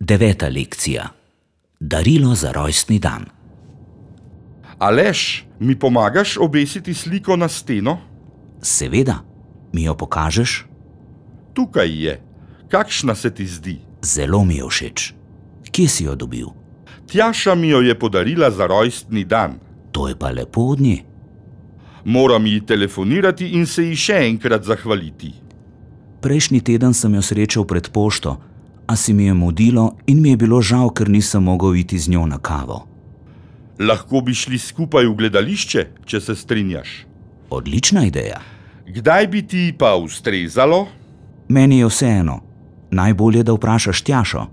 9. lekcija. Darilo za rojstni dan. Aleš, mi pomagaš obesiti sliko na steno? Seveda. Mi jo pokažeš? Tukaj je. Kakšna se ti zdi? Zelo mi je všeč. Kje si jo dobil? Tjaša mi jo je podarila za rojstni dan. To je pa lepo od nje. Moram ji telefonirati in se ji še enkrat zahvaliti. Prejšnji teden sem jo srečal pred pošto, a se mi je mudilo in mi je bilo žal, ker nisem mogel iti z njo na kavo. Lahko bi šli skupaj v gledališče, če se strinjaš. Odlična ideja. Kdaj bi ti pa ustrezalo? Meni je vseeno. Najbolje, da vprašaš Tjašo.